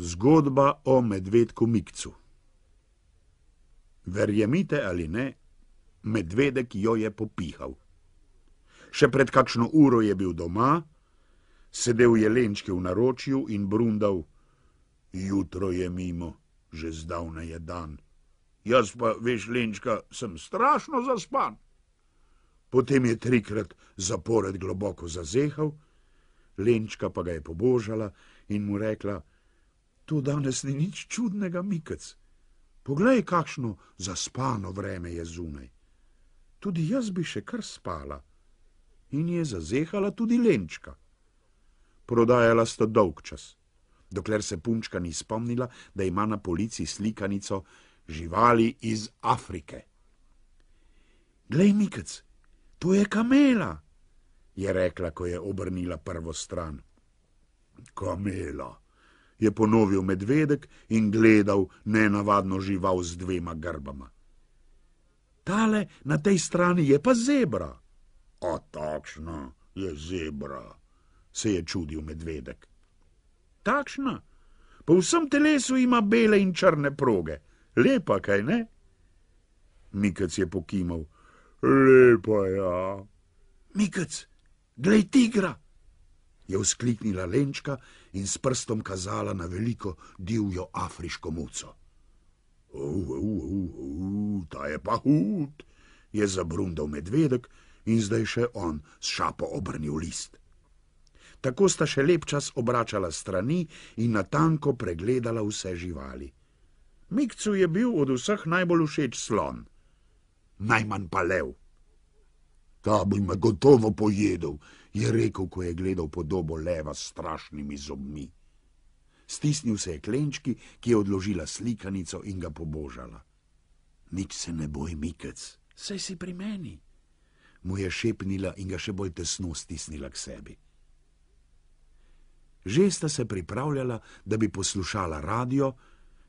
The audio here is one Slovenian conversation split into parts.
Zgodba o medvedku Mikcu. Verjemite ali ne, medvedek jo je popihal. Še pred kakšno uro je bil doma, sedel je Lenčki v naročju in brundal: jutro je mimo, že zdavnaj je dan. Jaz pa, veš, Lenčka, sem strašno zaspan. Potem je 3krat zapored globoko zazehal, Lenčka pa ga je pobožala in mu rekla: to danes ni nič čudnega, Mikec. Poglej, kakšno zaspano vreme je zunaj. Tudi jaz bi še kar spala. In je zazehala tudi Lenčka. Prodajala sta dolg čas, dokler se punčka ni spomnila, da ima na polici slikanico živali iz Afrike. Glej, Mikec, to je kamela, je rekla, ko je obrnila prvo stran. Kamela, je ponovil medvedek in gledal nenavadno žival z 2 grbama. Tale na tej strani je pa zebra. A takšna je zebra, se je čudil medvedek. Takšna? Po vsem telesu ima bele in črne proge. Lepa, kaj ne? Mikec je pokimal. Lepa, ja. Mikec, glej tigra, je vzkliknila Lenčka in s prstom kazala na veliko divjo afriško muco. Ta je pa hud, je zabrundal medvedek in zdaj še on s šapo obrnil list. Tako sta še lep čas obračala strani in natanko pregledala vse živali. Mikcu je bil od vseh najbolj všeč slon, najmanj pa lev. Ta bi me gotovo pojedel, je rekel, ko je gledal podobo leva s strašnimi zobmi. Stisnil se je k Lenčki, ki je odložila slikanico in ga pobožala. Nič se ne boj, Mikec, saj si pri meni, mu je šepnila in ga še bolj tesno stisnila k sebi. Že sta se pripravljala, da bi poslušala radio,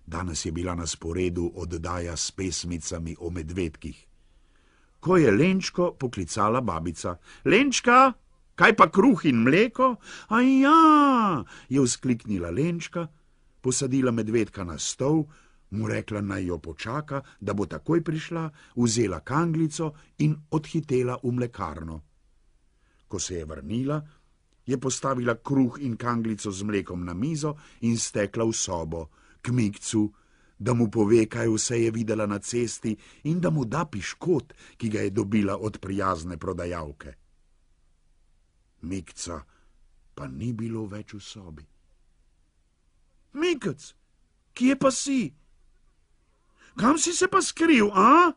danes je bila na sporedu oddaja s pesmicami o medvedkih. Ko je Lenčko poklicala babica. Lenčka, kaj pa kruh in mleko? Ja, je vzkliknila Lenčka, posadila medvedka na stol, mu rekla, naj jo počaka, da bo takoj prišla, vzela kanglico in odhitela v mlekarno. Ko se je vrnila, je postavila kruh in kanglico z mlekom na mizo in stekla v sobo, k Mikcu, da mu pove, kaj vse je videla na cesti in da mu da piškot, ki ga je dobila od prijazne prodajalke. Mikca pa ni bilo več v sobi. Mikec, kje pa si? Kam si se pa skril, a?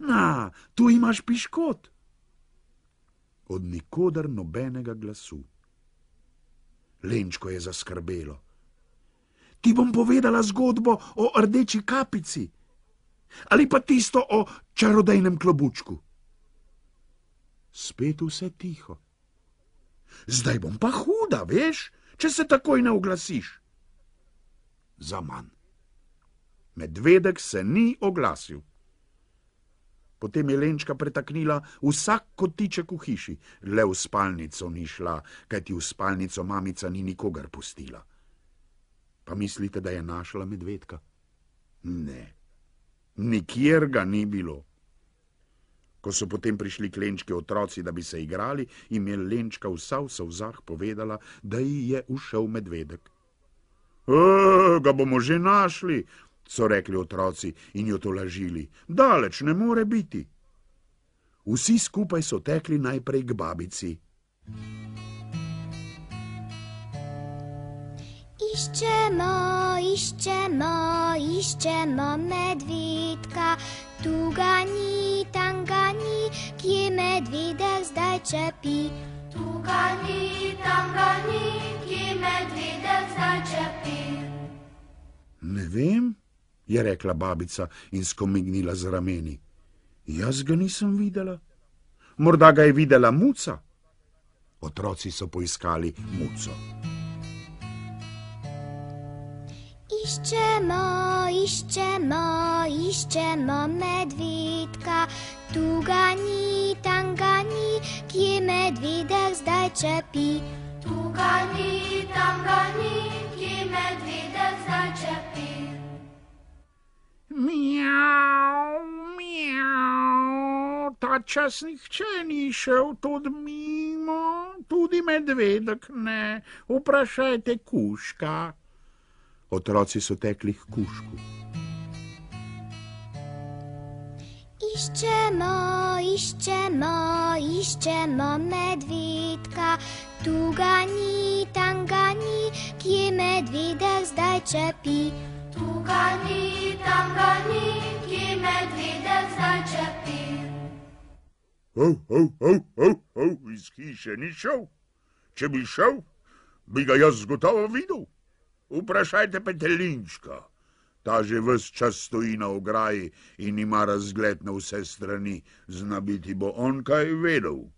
Na, tu imaš piškot. Od nikoder nobenega glasu. Lenčko je zaskrbelo. Ti bom povedala zgodbo o rdeči kapici ali pa tisto o čarodejnem klobučku. Spet vse tiho. Zdaj bom pa huda, veš, če se takoj ne oglasiš. Zaman. Medvedek se ni oglasil. Potem je Lenčka pretaknila vsak kotiček v hiši, le v spalnico ni šla, kajti v spalnico mamica ni nikogar pustila. Pa mislite, da je našla medvedka? Ne, nikjer ga ni bilo. Ko so potem prišli k Lenčki otroci, da bi se igrali, jim je Lenčka vsa v solzah povedala, da ji je ušel medvedek. Ga bomo že našli, so rekli otroci in jo tolažili. Daleč ne more biti. Vsi skupaj so tekli najprej k babici. Iščemo medvedka, tu ga ni, tam ga ni, kje medvedek zdaj čepi. Tu ga ni, tam ga ni, kje medvedek zdaj čepi. Ne vem, je rekla babica in skomignila z rameni. Jaz ga nisem videla. Morda ga je videla muca. Otroci so poiskali muco. Iščemo medvedka, tu ga ni, tam ga ni, kje medvedek zdaj čepi. Tu tam ga ni, kje medvedek zdaj čepi. Mjau, mjau, ta čas nihče ni šel tudi mimo, tudi medvedek ne, vprašajte kužka. Otroci so tekli k kužku. Iščemo, iščemo, iščemo medvedka, tu ga ni, tam ga ni, kje medvedek zdaj čepi. Tu ga ni, tam ga ni, kje medvedek zdaj čepi. Iz hiše ni šel. Če bi šel, bi ga jaz gotovo videl. Vprašajte petelinčka. Ta že ves čas stoji na ograji in ima razgled na vse strani. Zna biti bo on kaj vedel.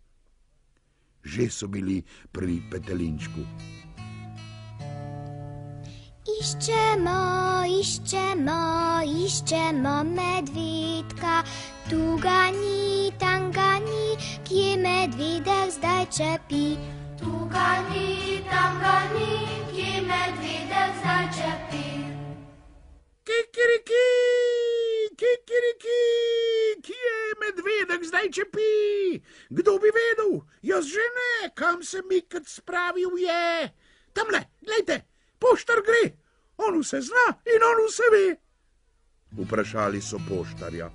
Že so bili pri petelinčku. Iščemo, iščemo, iščemo medvedka, tu ga ni, tam ga ni, kje medvedek zdaj čepi. Tu ga ni, tam ga ni, kje medvedek zdaj čepi. Kikiriki, kikiriki, kje medvedek zdaj čepi? Kdo bi vedel? Jaz že ne, kam se Mikec spravil je. Tamle, glejte, poštar gre. On vse zna in on vse ve. Vprašali so poštarja.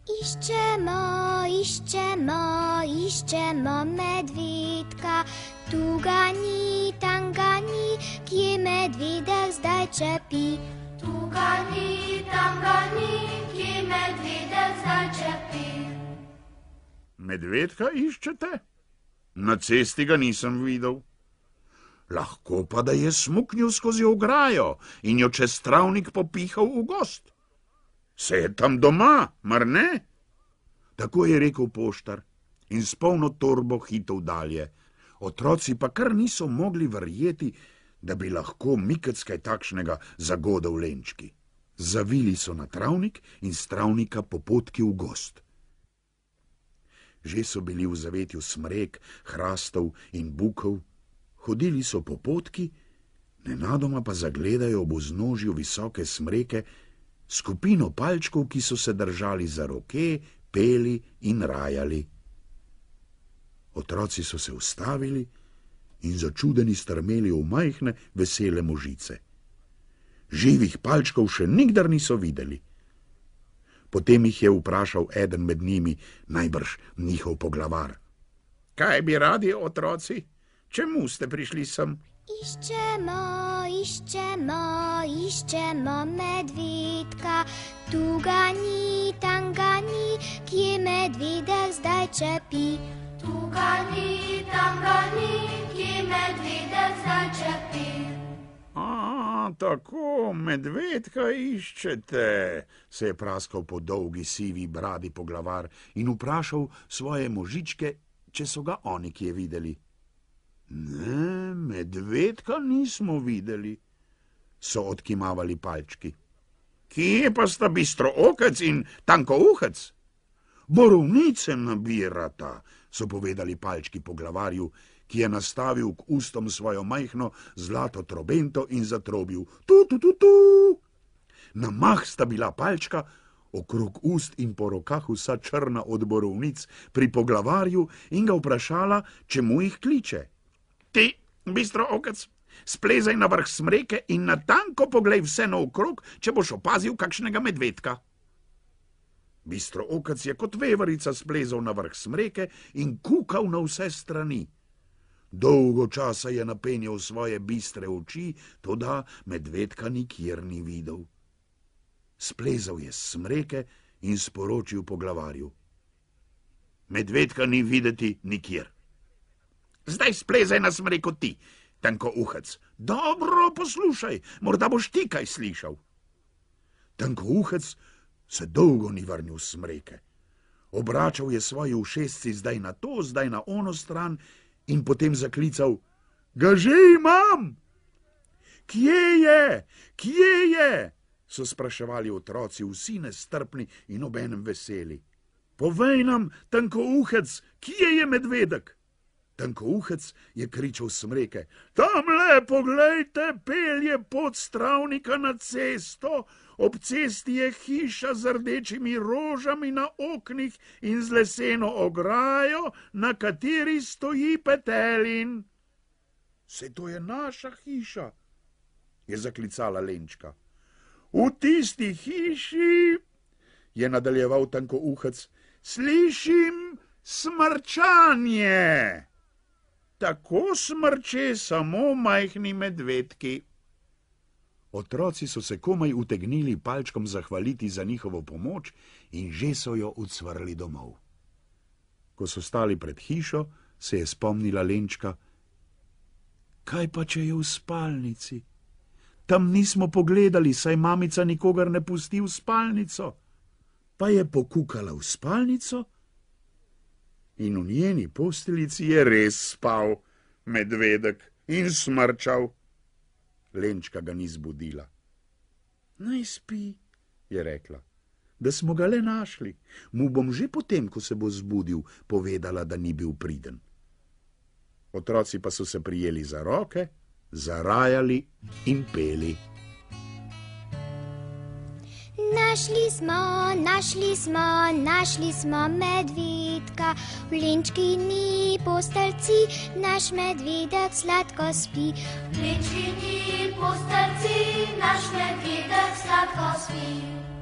Iščemo, iščemo, iščemo medvedka, tu ga ni, tam ga ni, kje medvedek zdaj čepi. Tu ga ni, tam ga ni, kje medvedek zdaj čepi. Medvedka iščete? Na cesti ga nisem videl. Lahko pa, da je smuknil skozi ograjo in jo čez travnik popihal v gozd. Se je tam doma, mar ne? Tako je rekel poštar in s polno torbo hitel dalje. Otroci pa kar niso mogli verjeti, da bi lahko Mikec kaj takšnega zagodel lenčki. Zavili so na travnik in s travnika po potki v gozd. Že so bili v zavetju smrek, hrastov in bukov, hodili so po potki, nenadoma pa zagledajo ob vznožju visoke smreke skupino palčkov, ki so se držali za roke, peli in rajali. Otroci so se ustavili in začudeni strmeli v majhne, vesele možice. Živih palčkov še nikdar niso videli. Potem jih je vprašal eden med njimi, najbrž njihov poglavar. Kaj bi radi, otroci? Čemu ste prišli sem? Iščemo, iščemo, iščemo medvedka, tu ga ni, tam ga ni, kje medvedek zdaj čepi. Tu ga ni, tam ga ni, kje medvedek zdaj čepi. Tako, medvedka iščete, se je praskal po dolgi sivi bradi poglavar in vprašal svoje možičke, če so ga oni kje videli. Ne, medvedka nismo videli, so odkimavali palčki. Kje pa sta Bistrookec in Tankouhec? Borovnice nabirata, so povedali palčki poglavarju, ki je nastavil k ustom svojo majhno zlato trobento in zatrobil tu, tu, tu, tu. Na mah sta bila palčka, okrog ust in po rokah vsa črna od borovnic, pri poglavarju in ga vprašala, čemu jih kliče. Ti, Bistrookec, splezaj na vrh smreke in natanko poglej vse naokrog, če boš opazil kakšnega medvedka. Bistrookec je kot veverica splezal na vrh smreke in kukal na vse strani. Dolgo časa je napenjal svoje bistre oči, toda medvedka nikjer ni videl. Splezal je s smreke in sporočil poglavarju. Medvedka ni videti nikjer. Zdaj splezaj na smreko ti, Tankouhec. Dobro poslušaj, morda boš ti kaj slišal. Tankouhec se dolgo ni vrnil s smreke. Obračal je svoji ušesci zdaj na to, zdaj na ono stran in potem zaklical, ga že imam! Kje je? Kje je? So spraševali otroci, vsi nestrpni in obenem veseli. Povej nam, Tankouhec, kje je medvedek? Tankouhec je kričal smreke: Tamle, poglejte, pelje pot stravnika na cesto, ob cesti je hiša z rdečimi rožami na oknih in z leseno ograjo, na kateri stoji petelin. Saj to je naša hiša, je zaklicala Lenčka. V tisti hiši, je nadaljeval Tankouhec, slišim smrčanje. Tako smrče samo majhni medvedki. Otroci so se komaj utegnili palčkom zahvaliti za njihovo pomoč in že so jo ucvrli domov. Ko so stali pred hišo, se je spomnila Lenčka: Kaj pa, če je v spalnici? Tam nismo pogledali, saj mamica nikogar ne pusti v spalnico. Pa je pokukala v spalnico in v njeni posteljici je res spal medvedek in smrčal. Lenčka ga ni zbudila. Naj spi, je rekla, da smo ga le našli. Mu bom že potem, ko se bo zbudil, povedala, da ni bil priden. Otroci pa so se prijeli za roke, zarajali in peli. Našli smo medvedka, v Lenčkini postelci, naš medvedek sladko spi. V Lenčkini postelci, naš medvedek sladko spi.